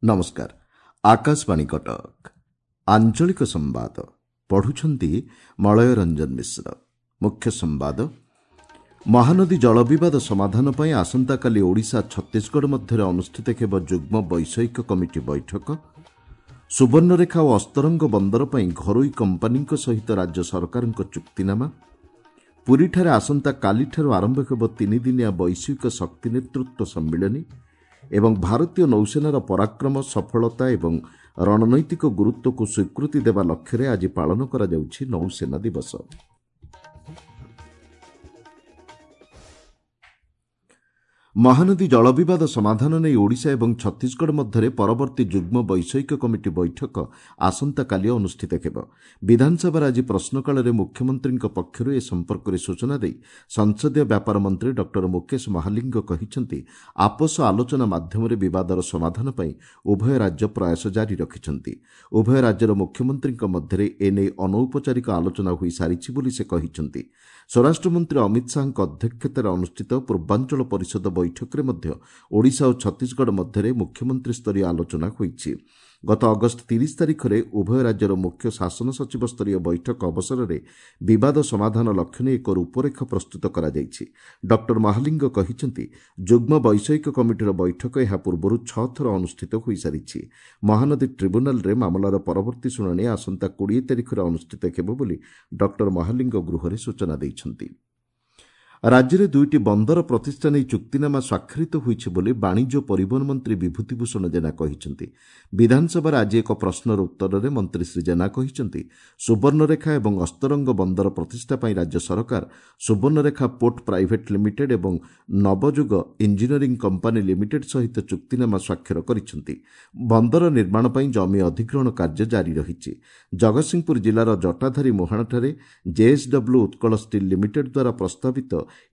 ନମସ୍କାର, ଆକାଶବାଣୀ କଟକ। ଆଞ୍ଚଳିକ ସମ୍ବାଦ ପଢୁଛନ୍ତି ମଳୟ ରଞ୍ଜନ ମିଶ୍ର। ମୁଖ୍ୟ ସମ୍ବାଦ। ମହାନଦୀ ଜଳ ବିବାଦ ସମାଧାନ ପାଇଁ ଆସନ୍ତାକାଲି ଓଡ଼ିଶା ଛତିଶଗଡ଼ ମଧ୍ୟରେ ଅନୁଷ୍ଠିତ ହେବ ଯୁଗ୍ମ ବୈଷୟିକ କମିଟି ବୈଠକ। ସୁବର୍ଣ୍ଣରେଖା ଓ ଅସ୍ତରଙ୍ଗ ବନ୍ଦର ପାଇଁ ଘରୋଇ କମ୍ପାନୀଙ୍କ ସହିତ ରାଜ୍ୟ ସରକାରଙ୍କ ଚୁକ୍ତିନାମା। ପୁରୀଠାରେ ଆସନ୍ତାକାଲିଠାରୁ ଆରମ୍ଭ ହେବ ତିନିଦିନିଆ ବୈଶ୍ୱିକ ଶକ୍ତି ନେତୃତ୍ୱ ସମ୍ମିଳନୀ ଏବଂ ଭାରତୀୟ ନୌସେନାର ପରାକ୍ରମ, ସଫଳତା ଏବଂ ରଣନୈତିକ ଗୁରୁତ୍ୱକୁ ସ୍ୱୀକୃତି ଦେବା ଲକ୍ଷ୍ୟରେ ଆଜି ପାଳନ କରାଯାଉଛି ନୌସେନା ଦିବସ। ମହାନଦୀ ଜଳ ବିବାଦ ସମାଧାନ ନେଇ ଓଡ଼ିଶା ଏବଂ ଛତିଶଗଡ଼ ମଧ୍ୟରେ ପରବର୍ତ୍ତୀ ଯୁଗ୍ମ ବୈଷୟିକ କମିଟି ବୈଠକ ଆସନ୍ତାକାଲି ଅନୁଷ୍ଠିତ ହେବ। ବିଧାନସଭାରେ ଆଜି ପ୍ରଶ୍ନକାଳରେ ମୁଖ୍ୟମନ୍ତ୍ରୀଙ୍କ ପକ୍ଷରୁ ଏ ସମ୍ପର୍କରେ ସୂଚନା ଦେଇ ସଂସଦୀୟ ବ୍ୟାପାର ମନ୍ତ୍ରୀ ଡକ୍ଟର ମୁକେଶ ମହାଲିଙ୍ଗ କହିଛନ୍ତି, ଆପୋଷ ଆଲୋଚନା ମାଧ୍ୟମରେ ବିବାଦର ସମାଧାନ ପାଇଁ ଉଭୟ ରାଜ୍ୟ ପ୍ରୟାସ ଜାରି ରଖିଛନ୍ତି। ଉଭୟ ରାଜ୍ୟର ମୁଖ୍ୟମନ୍ତ୍ରୀଙ୍କ ମଧ୍ୟରେ ଏନେଇ ଅନୌପଚାରିକ ଆଲୋଚନା ହୋଇସାରିଛି ବୋଲି ସେ କହିଛନ୍ତି। ସ୍ୱରାଷ୍ଟ୍ରମନ୍ତ୍ରୀ ଅମିତ ଶାହାଙ୍କ ଅଧ୍ୟକ୍ଷତାରେ ଅନୁଷ୍ଠିତ ପୂର୍ବାଞ୍ଚଳ ପରିଷଦ ବୈଠକରେ ମଧ୍ୟ ଓଡ଼ିଶା ଓ ଛତିଶଗଡ଼ ମଧ୍ୟରେ ମୁଖ୍ୟମନ୍ତ୍ରୀସ୍ତରୀୟ ଆଲୋଚନା ହୋଇଛି। ଗତ ଅଗଷ୍ଟ 30 ତାରିଖରେ ଉଭୟ ରାଜ୍ୟର ମୁଖ୍ୟ ଶାସନ ସଚିବ ସ୍ତରୀୟ ବୈଠକ ଅବସରରେ ବିବାଦ ସମାଧାନ ଲକ୍ଷ୍ୟ ନେଇ ଏକ ରୂପରେଖ ପ୍ରସ୍ତୁତ କରାଯାଇଛି। ଡକ୍ଟର ମହାଲିଙ୍ଗ କହିଛନ୍ତି, ଯୁଗ୍ମ ବୈଷୟିକ କମିଟିର ବୈଠକ ଏହା ପୂର୍ବରୁ 6 ଥର ଅନୁଷ୍ଠିତ ହୋଇସାରିଛି। ମହାନଦୀ ଟ୍ରିବ୍ୟୁନାଲରେ ମାମଲାର ପରବର୍ତ୍ତୀ ଶୁଣାଣି ଆସନ୍ତା 20 ତାରିଖରେ ଅନୁଷ୍ଠିତ ହେବ ବୋଲି ଡକ୍ଟର ମହାଲିଙ୍ଗ ଗୃହରେ ସୂଚନା ଦେଇଛନ୍ତି। ରାଜ୍ୟରେ 2ଟି ବନ୍ଦର ପ୍ରତିଷ୍ଠା ନେଇ ଚୁକ୍ତିନାମା ସ୍ୱାକ୍ଷରିତ ହୋଇଛି ବୋଲି ବାଣିଜ୍ୟ ପରିବହନ ମନ୍ତ୍ରୀ ବିଭୂତି ଭୂଷଣ ଜେନା କହିଛନ୍ତି। ବିଧାନସଭାରେ ଆଜି ଏକ ପ୍ରଶ୍ନର ଉତ୍ତରରେ ମନ୍ତ୍ରୀ ଶ୍ରୀ ଜେନା କହିଛନ୍ତି, ସୁବର୍ଣ୍ଣରେଖା ଏବଂ ଅସ୍ତରଙ୍ଗ ବନ୍ଦର ପ୍ରତିଷ୍ଠା ପାଇଁ ରାଜ୍ୟ ସରକାର ସୁବର୍ଣ୍ଣରେଖା ପୋର୍ଟ ପ୍ରାଇଭେଟ୍ ଲିମିଟେଡ୍ ଏବଂ ନବଯୁଗ ଇଞ୍ଜିନିୟରିଂ କମ୍ପାନୀ ଲିମିଟେଡ୍ ସହିତ ଚୁକ୍ତିନାମା ସ୍ୱାକ୍ଷର କରିଛନ୍ତି। ବନ୍ଦର ନିର୍ମାଣ ପାଇଁ ଜମି ଅଧିଗ୍ରହଣ କାର୍ଯ୍ୟ ଜାରି ରହିଛି। ଜଗତସିଂହପୁର ଜିଲ୍ଲାର ଜଟାଧାରୀ ମୁହାଣଠାରେ ଜେଏସ୍ଡବ୍ଲ୍ୟୁ ଉତ୍କଳ ଷ୍ଟିଲ୍ ଲିମିଟେଡ୍ ଦ୍ୱାରା ପ୍ରସ୍ତାବିତ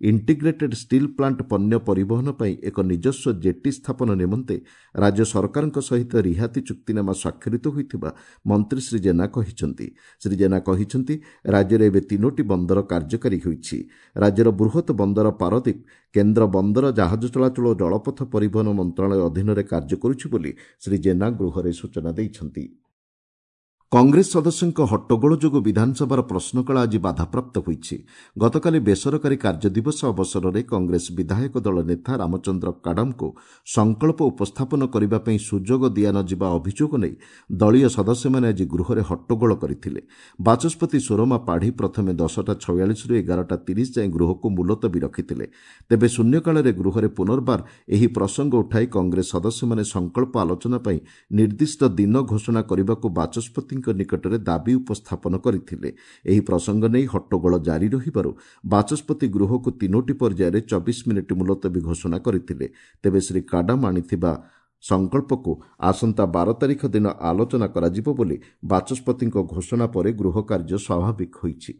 ଇଣ୍ଟିଗ୍ରେଟେଡ୍ ଷ୍ଟିଲ୍ ପ୍ଲାଣ୍ଟ ପଣ୍ୟ ପରିବହନ ପାଇଁ ଏକ ନିଜସ୍ୱ ଜେଟି ସ୍ଥାପନ ନିମନ୍ତେ ରାଜ୍ୟ ସରକାରଙ୍କ ସହିତ ରିହାତି ଚୁକ୍ତିନାମା ସ୍ୱାକ୍ଷରିତ ହୋଇଥିବା ମନ୍ତ୍ରୀ ଶ୍ରୀ ଜେନା କହିଛନ୍ତି। ଶ୍ରୀ ଜେନା କହିଛନ୍ତି, ରାଜ୍ୟରେ ଏବେ 3ଟି ବନ୍ଦର କାର୍ଯ୍ୟକାରୀ ହୋଇଛି। ରାଜ୍ୟର ବୃହତ୍ ବନ୍ଦର ପାରାଦୀପ କେନ୍ଦ୍ର ବନ୍ଦର, ଜାହାଜ ଚଳାଚଳ ଓ ଜଳପଥ ପରିବହନ ମନ୍ତ୍ରଣାଳୟ ଅଧୀନରେ କାର୍ଯ୍ୟ କରୁଛି ବୋଲି ଶ୍ରୀ ଜେନା ଗୃହରେ ସୂଚନା ଦେଇଛନ୍ତି। କଂଗ୍ରେସ ସଦସ୍ୟଙ୍କ ହଟ୍ଟଗୋଳ ଯୋଗୁଁ ବିଧାନସଭାର ପ୍ରଶ୍ନକାଳ ଆଜି ବାଧାପ୍ରାପ୍ତ ହୋଇଛି। ଗତକାଲି ବେସରକାରୀ କାର୍ଯ୍ୟଦିବସ ଅବସରରେ କଂଗ୍ରେସ ବିଧାୟକ ଦଳ ନେତା ରାମଚନ୍ଦ୍ର କାଡାମଙ୍କୁ ସଂକଳ୍ପ ଉପସ୍ଥାପନ କରିବା ପାଇଁ ସୁଯୋଗ ଦିଆନଯିବା ଅଭିଯୋଗ ନେଇ ଦଳୀୟ ସଦସ୍ୟମାନେ ଆଜି ଗୃହରେ ହଟ୍ଟଗୋଳ କରିଥିଲେ। ବାଚସ୍ପତି ସୁରମା ପାଢ଼ୀ ପ୍ରଥମେ 10:46ରୁ 11:30 ଯାଏଁ ଗୃହକୁ ମୁଲତବୀ ରଖିଥିଲେ। ତେବେ ଶୂନ୍ୟକାଳରେ ଗୃହରେ ପୁନର୍ବାର ଏହି ପ୍ରସଙ୍ଗ ଉଠାଇ କଂଗ୍ରେସ ସଦସ୍ୟମାନେ ସଂକଳ୍ପ ଆଲୋଚନା ପାଇଁ ନିର୍ଦ୍ଦିଷ୍ଟ ଦିନ ଘୋଷଣା କରିବାକୁ ବାଚସ୍ପତିଙ୍କ ନିକଟରେ ଦାବି ଉପସ୍ଥାପନ କରିଥିଲେ। ଏହି ପ୍ରସଙ୍ଗ ନେଇ ହଟ୍ଟଗୋଳ ଜାରି ରହିବାରୁ ବାଚସ୍ପତି ଗୃହକୁ 3ଟି ପର୍ଯ୍ୟାୟରେ 24 ମିନିଟ୍ ମୁଲତବୀ ଘୋଷଣା କରିଥିଲେ। ତେବେ ଶ୍ରୀ କାଡାମ ଆଣିଥିବା ସଂକଳ୍ପକୁ ଆସନ୍ତା 12 ତାରିଖ ଦିନ ଆଲୋଚନା କରାଯିବ ବୋଲି ବାଚସ୍ପତିଙ୍କ ଘୋଷଣା ପରେ ଗୃହ କାର୍ଯ୍ୟ ସ୍ୱାଭାବିକ ହୋଇଛି।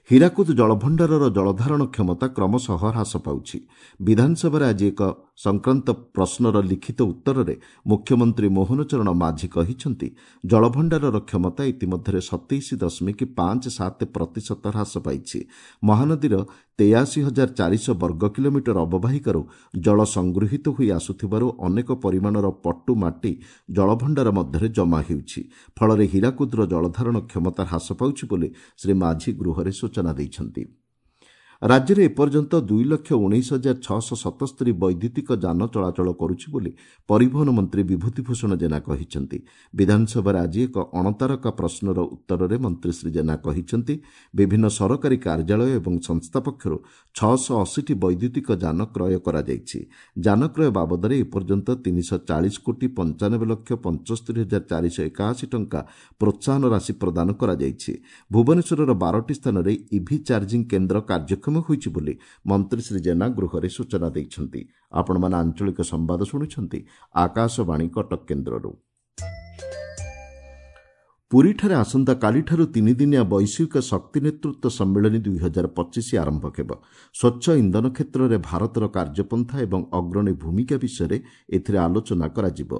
ହୀରାକୁଦ ଜଳଭଣ୍ଡାରର ଜଳଧାରଣ କ୍ଷମତା କ୍ରମଶଃ ହ୍ରାସ ପାଉଛି। ବିଧାନସଭାରେ ଆଜି ଏକ ସଂକ୍ରାନ୍ତ ପ୍ରଶ୍ନର ଲିଖିତ ଉତ୍ତରରେ ମୁଖ୍ୟମନ୍ତ୍ରୀ ମୋହନ ଚରଣ ମାଝୀ କହିଛନ୍ତି, ଜଳଭଣ୍ଡାରର କ୍ଷମତା ଇତିମଧ୍ୟରେ 27.57% ହ୍ରାସ ପାଇଛି। ମହାନଦୀର 83,400 ବର୍ଗ କିଲୋମିଟର ଅବବାହିକାରୁ ଜଳ ସଂଗୃହୀତ ହୋଇ ଆସୁଥିବାରୁ ଅନେକ ପରିମାଣର ପଟୁ ମାଟି ଜଳଭଣ୍ଡାର ମଧ୍ୟରେ ଜମା ହେଉଛି। ଫଳରେ ହୀରାକୁଦର ଜଳଧାରଣ କ୍ଷମତା ହ୍ରାସ ପାଉଛି ବୋଲି ଶ୍ରୀ ମାଝୀ ଗୃହରେ ସୂଚନା ଦେଇଛନ୍ତି। ରାଜ୍ୟରେ ଏପର୍ଯ୍ୟନ୍ତ 2,19,677 ବୈଦ୍ୟୁତିକ ଯାନ ଚଳାଚଳ କରୁଛି ବୋଲି ପରିବହନ ମନ୍ତ୍ରୀ ବିଭୂତି ଭୂଷଣ ଜେନା କହିଛନ୍ତି। ବିଧାନସଭାରେ ଆଜି ଏକ ଅଣତାରକା ପ୍ରଶ୍ନର ଉତ୍ତରରେ ମନ୍ତ୍ରୀ ଶ୍ରୀ ଜେନା କହିଛନ୍ତି, ବିଭିନ୍ନ ସରକାରୀ କାର୍ଯ୍ୟାଳୟ ଏବଂ ସଂସ୍ଥା ପକ୍ଷରୁ 680ଟି ବୈଦ୍ୟୁତିକ ଯାନ କ୍ରୟ କରାଯାଇଛି। ଯାନ କ୍ରୟ ବାବଦରେ ଏପର୍ଯ୍ୟନ୍ତ 340,95,75,481 ଟଙ୍କା ପ୍ରୋତ୍ସାହନ ରାଶି ପ୍ରଦାନ କରାଯାଇଛି। ଭୁବନେଶ୍ୱରର 12ଟି ସ୍ଥାନରେ ଇଭି ଚାର୍ଜିଂ କେନ୍ଦ୍ର କାର୍ଯ୍ୟକ୍ଷମ ହୋଇଛି ବୋଲି ମନ୍ତ୍ରୀ ଶ୍ରୀ ଜେନା ଗୃହରେ ସୂଚନା ଦେଇଛନ୍ତି। ଆପଣମାନେ ଆଞ୍ଚଳିକ ସମ୍ବାଦ ଶୁଣୁଛନ୍ତି ଆକାଶବାଣୀ କଟକ କେନ୍ଦ୍ରରୁ। ପୁରୀଠାରେ ଆସନ୍ତାକାଲିଠାରୁ ତିନିଦିନିଆ ବୈଶ୍ୱିକ ଶକ୍ତି ନେତୃତ୍ୱ ସମ୍ମିଳନୀ 2025 ଆରମ୍ଭ ହେବ। ସ୍ୱଚ୍ଛ ଇନ୍ଧନ କ୍ଷେତ୍ରରେ ଭାରତର କାର୍ଯ୍ୟପନ୍ଥା ଏବଂ ଅଗ୍ରଣୀ ଭୂମିକା ବିଷୟରେ ଏଥିରେ ଆଲୋଚନା କରାଯିବ।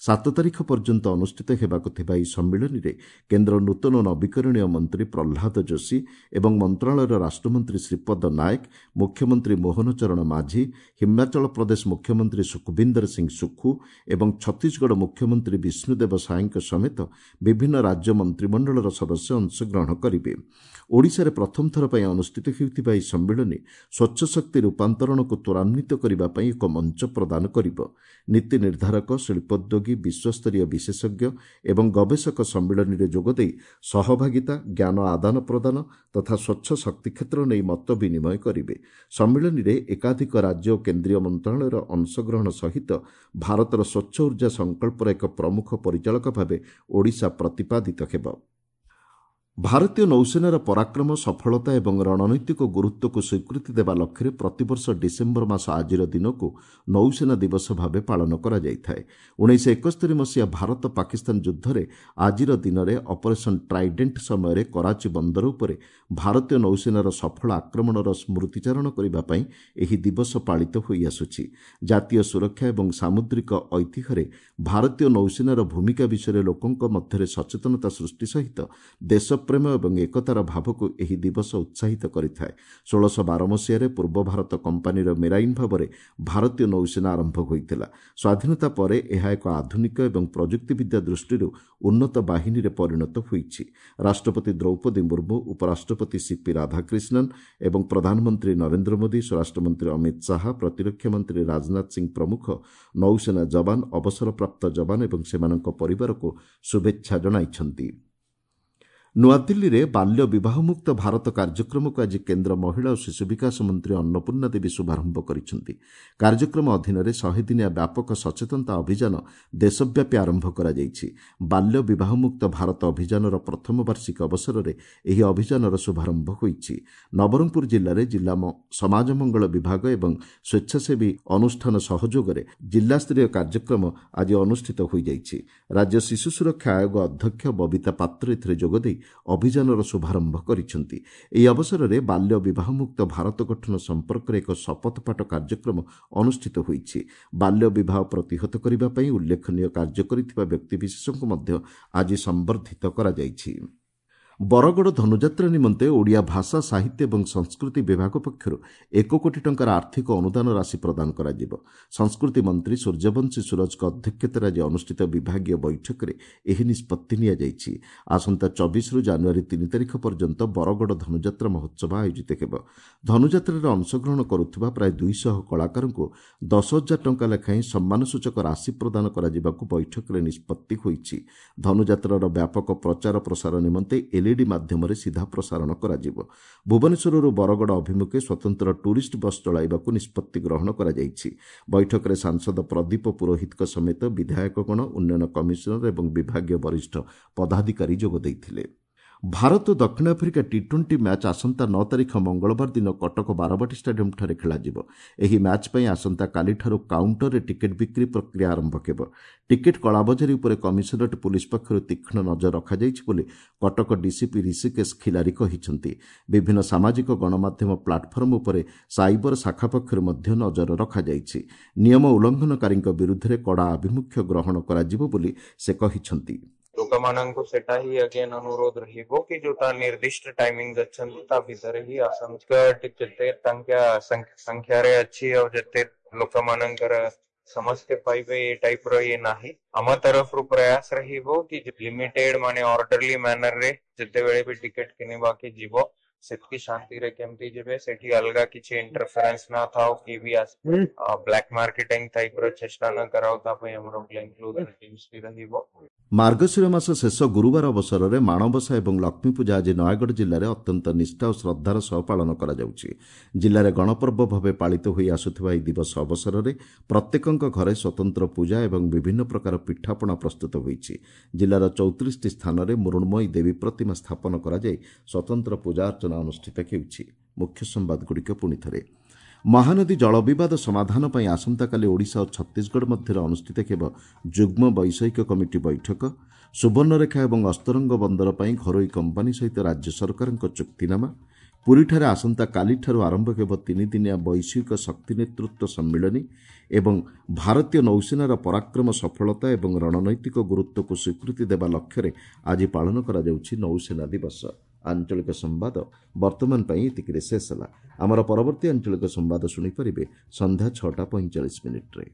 7 ତାରିଖ ପର୍ଯ୍ୟନ୍ତ ଅନୁଷ୍ଠିତ ହେବାକୁ ଥିବା ଏହି ସମ୍ମିଳନୀରେ କେନ୍ଦ୍ର ନୂତନ ନବୀକରଣୀୟ ମନ୍ତ୍ରୀ ପ୍ରହ୍ଲାଦ ଯୋଶୀ ଏବଂ ମନ୍ତ୍ରଣାଳୟର ରାଷ୍ଟ୍ରମନ୍ତ୍ରୀ ଶ୍ରୀପଦ ନାୟକ, ମୁଖ୍ୟମନ୍ତ୍ରୀ ମୋହନ ଚରଣ ମାଝୀ, ହିମାଚଳ ପ୍ରଦେଶ ମୁଖ୍ୟମନ୍ତ୍ରୀ ସୁଖବିନ୍ଦର ସିଂ ସୁଖୁ ଏବଂ ଛତିଶଗଡ଼ ମୁଖ୍ୟମନ୍ତ୍ରୀ ବିଷ୍ଣୁଦେବ ସାଏଙ୍କ ସମେତ ବିଭିନ୍ନ ରାଜ୍ୟ ମନ୍ତ୍ରିମଣ୍ଡଳର ସଦସ୍ୟ ଅଂଶଗ୍ରହଣ କରିବେ। ଓଡ଼ିଶାରେ ପ୍ରଥମ ଥର ପାଇଁ ଅନୁଷ୍ଠିତ ହେଉଥିବା ଏହି ସମ୍ମିଳନୀ ସ୍ୱଚ୍ଛ ଶକ୍ତି ରୂପାନ୍ତରଣକୁ ତ୍ୱରାନ୍ୱିତ କରିବା ପାଇଁ ଏକ ମଞ୍ଚ ପ୍ରଦାନ କରିବ। ନୀତି ନିର୍ଦ୍ଧାରକ, ଶିଳ୍ପୋଦ୍ୟୋଗୀ, ବିଶ୍ୱସ୍ତରୀୟ ବିଶେଷଜ୍ଞ ଏବଂ ଗବେଷକ ସମ୍ମିଳନୀରେ ଯୋଗଦେଇ ସହଭାଗିତା, ଜ୍ଞାନ ଆଦାନ ପ୍ରଦାନ ତଥା ସ୍ୱଚ୍ଛ ଶକ୍ତି କ୍ଷେତ୍ର ନେଇ ମତ ବିନିମୟ କରିବେ। ସମ୍ମିଳନୀରେ ଏକାଧିକ ରାଜ୍ୟ ଓ କେନ୍ଦ୍ରୀୟ ମନ୍ତ୍ରଣାଳୟର ଅଂଶଗ୍ରହଣ ସହିତ ଭାରତର ସ୍ୱଚ୍ଛ ଉର୍ଜା ସଂକଳ୍ପର ଏକ ପ୍ରମୁଖ ପରିଚାଳକ ଭାବେ ଓଡ଼ିଶା ପ୍ରତିପାଦିତ ହେବ। ଭାରତୀୟ ନୌସେନାର ପରାକ୍ରମ, ସଫଳତା ଏବଂ ରଣନୈତିକ ଗୁରୁତ୍ୱକୁ ସ୍ୱୀକୃତି ଦେବା ଲକ୍ଷ୍ୟରେ ପ୍ରତିବର୍ଷ ଡିସେମ୍ବର ମାସ ଆଜିର ଦିନକୁ ନୌସେନା ଦିବସ ଭାବେ ପାଳନ କରାଯାଇଥାଏ। 1971 ମସିହା ଭାରତ ପାକିସ୍ତାନ ଯୁଦ୍ଧରେ ଆଜିର ଦିନରେ ଅପରେସନ୍ ଟ୍ରାଇଡେଣ୍ଟ ସମୟରେ କରାଚି ବନ୍ଦର ଉପରେ ଭାରତୀୟ ନୌସେନାର ସଫଳ ଆକ୍ରମଣର ସ୍ମୃତିଚାରଣ କରିବା ପାଇଁ ଏହି ଦିବସ ପାଳିତ ହୋଇଆସୁଛି। ଜାତୀୟ ସୁରକ୍ଷା ଏବଂ ସାମୁଦ୍ରିକ ଐତିହ୍ୟରେ ଭାରତୀୟ ନୌସେନାର ଭୂମିକା ବିଷୟରେ ଲୋକଙ୍କ ମଧ୍ୟରେ ସଚେତନତା ସୃଷ୍ଟି ସହିତ ଦେଶ ପ୍ରେମ ଏବଂ ଏକତାର ଭାବକୁ ଏହି ଦିବସ ଉତ୍ସାହିତ କରିଥାଏ। 1612 ମସିହାରେ ପୂର୍ବ ଭାରତ କମ୍ପାନୀର ମେରାଇନ୍ ଭାବରେ ଭାରତୀୟ ନୌସେନା ଆରମ୍ଭ ହୋଇଥିଲା। ସ୍ୱାଧୀନତା ପରେ ଏହା ଏକ ଆଧୁନିକ ଏବଂ ପ୍ରଯୁକ୍ତିବିଦ୍ୟା ଦୃଷ୍ଟିରୁ ଉନ୍ନତ ବାହିନୀରେ ପରିଣତ ହୋଇଛି। ରାଷ୍ଟ୍ରପତି ଦ୍ରୌପଦୀ ମୁର୍ମୁ, ଉପରାଷ୍ଟ୍ରପତି ସିପି ରାଧାକ୍ରିଷ୍ଣନ୍ ଏବଂ ପ୍ରଧାନମନ୍ତ୍ରୀ ନରେନ୍ଦ୍ର ମୋଦି, ସ୍ୱରାଷ୍ଟ୍ରମନ୍ତ୍ରୀ ଅମିତ ଶାହା, ପ୍ରତିରକ୍ଷା ମନ୍ତ୍ରୀ ରାଜନାଥ ସିଂ ପ୍ରମୁଖ ନୌସେନା ଯବାନ, ଅବସରପ୍ରାପ୍ତ ଯବାନ ଏବଂ ସେମାନଙ୍କ ପରିବାରକୁ ଶୁଭେଚ୍ଛା ଜଣାଇଛନ୍ତି। ନୂଆଦିଲ୍ଲୀରେ ବାଲ୍ୟ ବିବାହମୁକ୍ତ ଭାରତ କାର୍ଯ୍ୟକ୍ରମକୁ ଆଜି କେନ୍ଦ୍ର ମହିଳା ଓ ଶିଶୁ ବିକାଶ ମନ୍ତ୍ରୀ ଅନ୍ନପୂର୍ଣ୍ଣା ଦେବୀ ଶୁଭାରମ୍ଭ କରିଛନ୍ତି। କାର୍ଯ୍ୟକ୍ରମ ଅଧୀନରେ 100 ଦିନିଆ ବ୍ୟାପକ ସଚେତନତା ଅଭିଯାନ ଦେଶବ୍ୟାପୀ ଆରମ୍ଭ କରାଯାଇଛି। ବାଲ୍ୟ ବିବାହମୁକ୍ତ ଭାରତ ଅଭିଯାନର ପ୍ରଥମ ବାର୍ଷିକ ଅବସରରେ ଏହି ଅଭିଯାନର ଶୁଭାରମ୍ଭ ହୋଇଛି। ନବରଙ୍ଗପୁର ଜିଲ୍ଲାରେ ଜିଲ୍ଲା ସମାଜ ମଙ୍ଗଳ ବିଭାଗ ଏବଂ ସ୍ୱେଚ୍ଛାସେବୀ ଅନୁଷ୍ଠାନ ସହଯୋଗରେ ଜିଲ୍ଲାସ୍ତରୀୟ କାର୍ଯ୍ୟକ୍ରମ ଆଜି ଅନୁଷ୍ଠିତ ହୋଇଯାଇଛି। ରାଜ୍ୟ ଶିଶୁ ସୁରକ୍ଷା ଆୟୋଗ ଅଧ୍ୟକ୍ଷ ବବିତା ପାତ୍ର ଏଥିରେ ଯୋଗଦେଇ ଅଭିଯାନର ଶୁଭାରମ୍ଭ କରିଛନ୍ତି। ଏହି ଅବସରରେ ବାଲ୍ୟ ବିବାହମୁକ୍ତ ଭାରତ ଗଠନ ସମ୍ପର୍କରେ ଏକ ଶପଥପାଠ କାର୍ଯ୍ୟକ୍ରମ ଅନୁଷ୍ଠିତ ହୋଇଛି। ବାଲ୍ୟ ବିବାହ ପ୍ରତିହତ କରିବା ପାଇଁ ଉଲ୍ଲେଖନୀୟ କାର୍ଯ୍ୟ କରିଥିବା ବ୍ୟକ୍ତିବିଶେଷଙ୍କୁ ମଧ୍ୟ ଆଜି ସମ୍ବର୍ଦ୍ଧିତ କରାଯାଇଛି। ବରଗଡ଼ ଧନୁଯାତ୍ରା ନିମନ୍ତେ ଓଡ଼ିଆ ଭାଷା, ସାହିତ୍ୟ ଏବଂ ସଂସ୍କୃତି ବିଭାଗ ପକ୍ଷରୁ 1 କୋଟି ଟଙ୍କାର ଆର୍ଥିକ ଅନୁଦାନ ରାଶି ପ୍ରଦାନ କରାଯିବ। ସଂସ୍କୃତି ମନ୍ତ୍ରୀ ସୂର୍ଯ୍ୟବଂଶୀ ସୁରଜଙ୍କ ଅଧ୍ୟକ୍ଷତାରେ ଆଜି ଅନୁଷ୍ଠିତ ବିଭାଗୀୟ ବୈଠକରେ ଏହି ନିଷ୍ପତ୍ତି ନିଆଯାଇଛି। ଆସନ୍ତା 24ରୁ ଜାନୁଆରୀ 3 ତାରିଖ ପର୍ଯ୍ୟନ୍ତ ବରଗଡ଼ ଧନୁଯାତ୍ରା ମହୋତ୍ସବ ଆୟୋଜିତ ହେବ। ଧନୁଯାତ୍ରାରେ ଅଂଶଗ୍ରହଣ କରୁଥିବା ପ୍ରାୟ 200 କଳାକାରଙ୍କୁ 10,000 ଟଙ୍କା ଲେଖାଏଁ ସମ୍ମାନସୂଚକ ରାଶି ପ୍ରଦାନ କରାଯିବାକୁ ବୈଠକରେ ନିଷ୍ପତ୍ତି ହୋଇଛି। ଧନୁଯାତ୍ରାର ବ୍ୟାପକ ପ୍ରଚାର ପ୍ରସାର ନିମନ୍ତେ ଏଲ୍ଇଡି ମାଧ୍ୟମରେ ସିଧା ପ୍ରସାରଣ କରାଯିବ। ଭୁବନେଶ୍ୱରରୁ ବରଗଡ଼ ଅଭିମୁଖେ ସ୍ୱତନ୍ତ୍ର ଟୁରିଷ୍ଟ ବସ୍ ଚଳାଇବାକୁ ନିଷ୍ପତ୍ତି ଗ୍ରହଣ କରାଯାଇଛି। ବୈଠକରେ ସାଂସଦ ପ୍ରଦୀପ ପୁରୋହିତଙ୍କ ସମେତ ବିଧାୟକଗଣ, ଉନ୍ନୟନ କମିଶନର ଏବଂ ବିଭାଗୀୟ ବରିଷ୍ଠ ପଦାଧିକାରୀ ଯୋଗ ଦେଇଥିଲେ। ଭାରତ ଦକ୍ଷିଣ ଆଫ୍ରିକା ଟି-20 ମ୍ୟାଚ୍ ଆସନ୍ତା 9 ତାରିଖ ମଙ୍ଗଳବାର ଦିନ କଟକ ବାରବାଟୀ ଷ୍ଟାଡିୟମ୍ଠାରେ ଖେଳାଯିବ। ଏହି ମ୍ୟାଚ୍ ପାଇଁ ଆସନ୍ତାକାଲିଠାରୁ କାଉଣ୍ଟରରେ ଟିକେଟ୍ ବିକ୍ରି ପ୍ରକ୍ରିୟା ଆରମ୍ଭ ହେବ। ଟିକେଟ୍ କଳାବଜାରୀ ଉପରେ କମିଶନରେଟ୍ ପୁଲିସ ପକ୍ଷରୁ ତୀକ୍ଷ୍ଣ ନଜର ରଖାଯାଇଛି ବୋଲି କଟକ ଡିସିପି ଋଷିକେଶ ଖିଲାରୀ କହିଛନ୍ତି। ବିଭିନ୍ନ ସାମାଜିକ ଗଣମାଧ୍ୟମ ପ୍ଲାଟଫର୍ମ ଉପରେ ସାଇବର ଶାଖା ପକ୍ଷରୁ ମଧ୍ୟ ନଜର ରଖାଯାଇଛି। ନିୟମ ଉଲ୍ଲଂଘନକାରୀଙ୍କ ବିରୁଦ୍ଧରେ କଡ଼ା ଆଭିମୁଖ୍ୟ ଗ୍ରହଣ କରାଯିବ ବୋଲି ସେ କହିଛନ୍ତି। ଲୋକମାନଙ୍କୁ ସେଟା ହିଁ ଅଗେନ୍ ଅନୁରୋଧ ରହିବ କି ଯୋଉଟା ନିର୍ଦ୍ଦିଷ୍ଟ ଟାଇମିଂ ଅଛନ୍ତି ତା ଭିତରେ ହିଁ ଆସନ୍ତୁ। ଯେତେ ତାଙ୍କ ସଂଖ୍ୟାରେ ଅଛି ଆଉ ଯେତେ ଲୋକମାନଙ୍କର ସମସ୍ତେ ପାଇବେ ଏ ଟାଇପ ର ଇଏ ନାହିଁ। ଆମ ତରଫରୁ ପ୍ରୟାସ ରହିବ କି ଲିମିଟେଡ ମାନେ ଅର୍ଡରଲି ମ୍ୟାନର ରେ ଯେତେବେଳେ ବି ଟିକେଟ କିଣିବାକି ଯିବ ସେତିକି ଶାନ୍ତିରେ କେମିତି ଯିବେ, ସେଠି ଅଲଗା କିଛି ଇଣ୍ଟରଫେରେନ୍ସ ନା ଥାଉ କି ବି ବ୍ଲାକ୍ ମାର୍କେଟିଂ ଟାଇପ ର ଚେଷ୍ଟା ନ କରାଉ, ତା ପାଇଁ ଆମର ପ୍ଲେନ୍ କ୍ଲୋଥ୍ ଟିମ୍ସ ବି ରହିବ। ମାର୍ଗଶିର ମାସ ଶେଷ ଗୁରୁବାର ଅବସରରେ ମାଣବସା ଏବଂ ଲକ୍ଷ୍ମୀପୂଜା ଆଜି ନୟାଗଡ଼ ଜିଲ୍ଲାରେ ଅତ୍ୟନ୍ତ ନିଷ୍ଠା ଓ ଶ୍ରଦ୍ଧାର ସହ ପାଳନ କରାଯାଉଛି। ଜିଲ୍ଲାରେ ଗଣପର୍ବ ଭାବେ ପାଳିତ ହୋଇ ଆସୁଥିବା ଏହି ଦିବସ ଅବସରରେ ପ୍ରତ୍ୟେକଙ୍କ ଘରେ ସ୍ୱତନ୍ତ୍ର ପୂଜା ଏବଂ ବିଭିନ୍ନ ପ୍ରକାର ପିଠାପଣା ପ୍ରସ୍ତୁତ ହୋଇଛି। ଜିଲ୍ଲାର 34ଟି ସ୍ଥାନରେ ମୃଣ୍ମୟୀ ଦେବୀ ପ୍ରତିମା ସ୍ଥାପନ କରାଯାଇ ସ୍ୱତନ୍ତ୍ର ପୂଜା ଅର୍ଚ୍ଚନା ଅନୁଷ୍ଠିତ ହେଉଛି। ମୁଖ୍ୟ ସମ୍ବାଦଗୁଡ଼ିକ ପୁଣି ଥରେ। ମହାନଦୀ ଜଳବିବାଦ ସମାଧାନ ପାଇଁ ଆସନ୍ତାକାଲି ଓଡ଼ିଶା ଓ ଛତିଶଗଡ଼ ମଧ୍ୟରେ ଅନୁଷ୍ଠିତ ହେବ ଯୁଗ୍ମ ବୈଷୟିକ କମିଟି ବୈଠକ। ସୁବର୍ଣ୍ଣରେଖା ଏବଂ ଅସ୍ତରଙ୍ଗ ବନ୍ଦର ପାଇଁ ଘରୋଇ କମ୍ପାନୀ ସହିତ ରାଜ୍ୟ ସରକାରଙ୍କ ଚୁକ୍ତିନାମା, ପୁରୀଠାରେ ଆସନ୍ତାକାଲିଠାରୁ ଆରମ୍ଭ ହେବ ତିନିଦିନିଆ ବୈଶ୍ୱିକ ଶକ୍ତି ନେତୃତ୍ୱ ସମ୍ମିଳନୀ ଏବଂ ଭାରତୀୟ ନୌସେନାର ପରାକ୍ରମ, ସଫଳତା ଏବଂ ରଣନୈତିକ ଗୁରୁତ୍ୱକୁ ସ୍ୱୀକୃତି ଦେବା ଲକ୍ଷ୍ୟରେ ଆଜି ପାଳନ କରାଯାଉଛି ନୌସେନା ଦିବସ। ଆଞ୍ଚଳିକ ସମ୍ବାଦ ବର୍ତ୍ତମାନ ପାଇଁ ଏତିକିରେ ଶେଷ ହେଲା। ଆମର ପରବର୍ତ୍ତୀ ଆଞ୍ଚଳିକ ସମ୍ବାଦ ଶୁଣିପାରିବେ ସନ୍ଧ୍ୟା 6ଟା 45 ମିନିଟ୍ରେ।